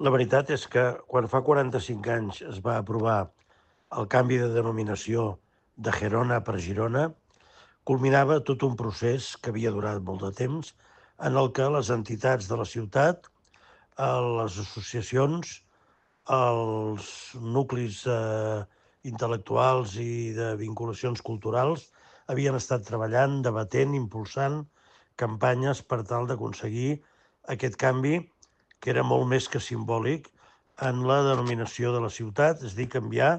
La veritat és que quan fa 45 anys es va aprovar el canvi de denominació de Gerona per Girona, culminava tot un procés que havia durat molt de temps, en el que les entitats de la ciutat, les associacions, els nuclis intel·lectuals i de vinculacions culturals havien estat treballant, debatent, impulsant campanyes per tal d'aconseguir aquest canvi, que era molt més que simbòlic, en la denominació de la ciutat, és a dir, canviar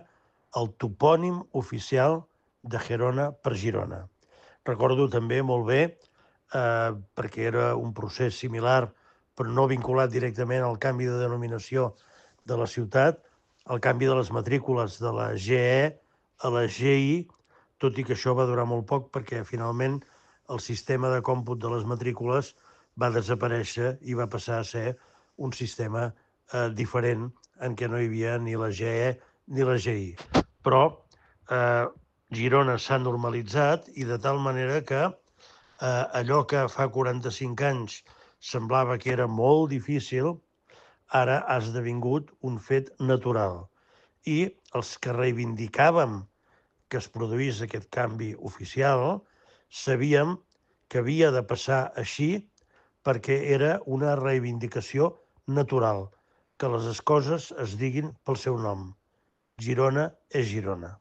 el topònim oficial de Gerona per Girona. Recordo també molt bé, perquè era un procés similar, però no vinculat directament al canvi de denominació de la ciutat, el canvi de les matrícules de la GE a la GI, tot i que això va durar molt poc perquè finalment el sistema de còmput de les matrícules va desaparèixer i va passar a ser un sistema diferent en què no hi havia ni la GE ni la GI. Però Girona s'ha normalitzat i de tal manera que allò que fa 45 anys semblava que era molt difícil, ara ha esdevingut un fet natural. I els que reivindicàvem que es produís aquest canvi oficial, sabíem que havia de passar així perquè era una reivindicació natural, que les coses es diguin pel seu nom. Girona és Girona.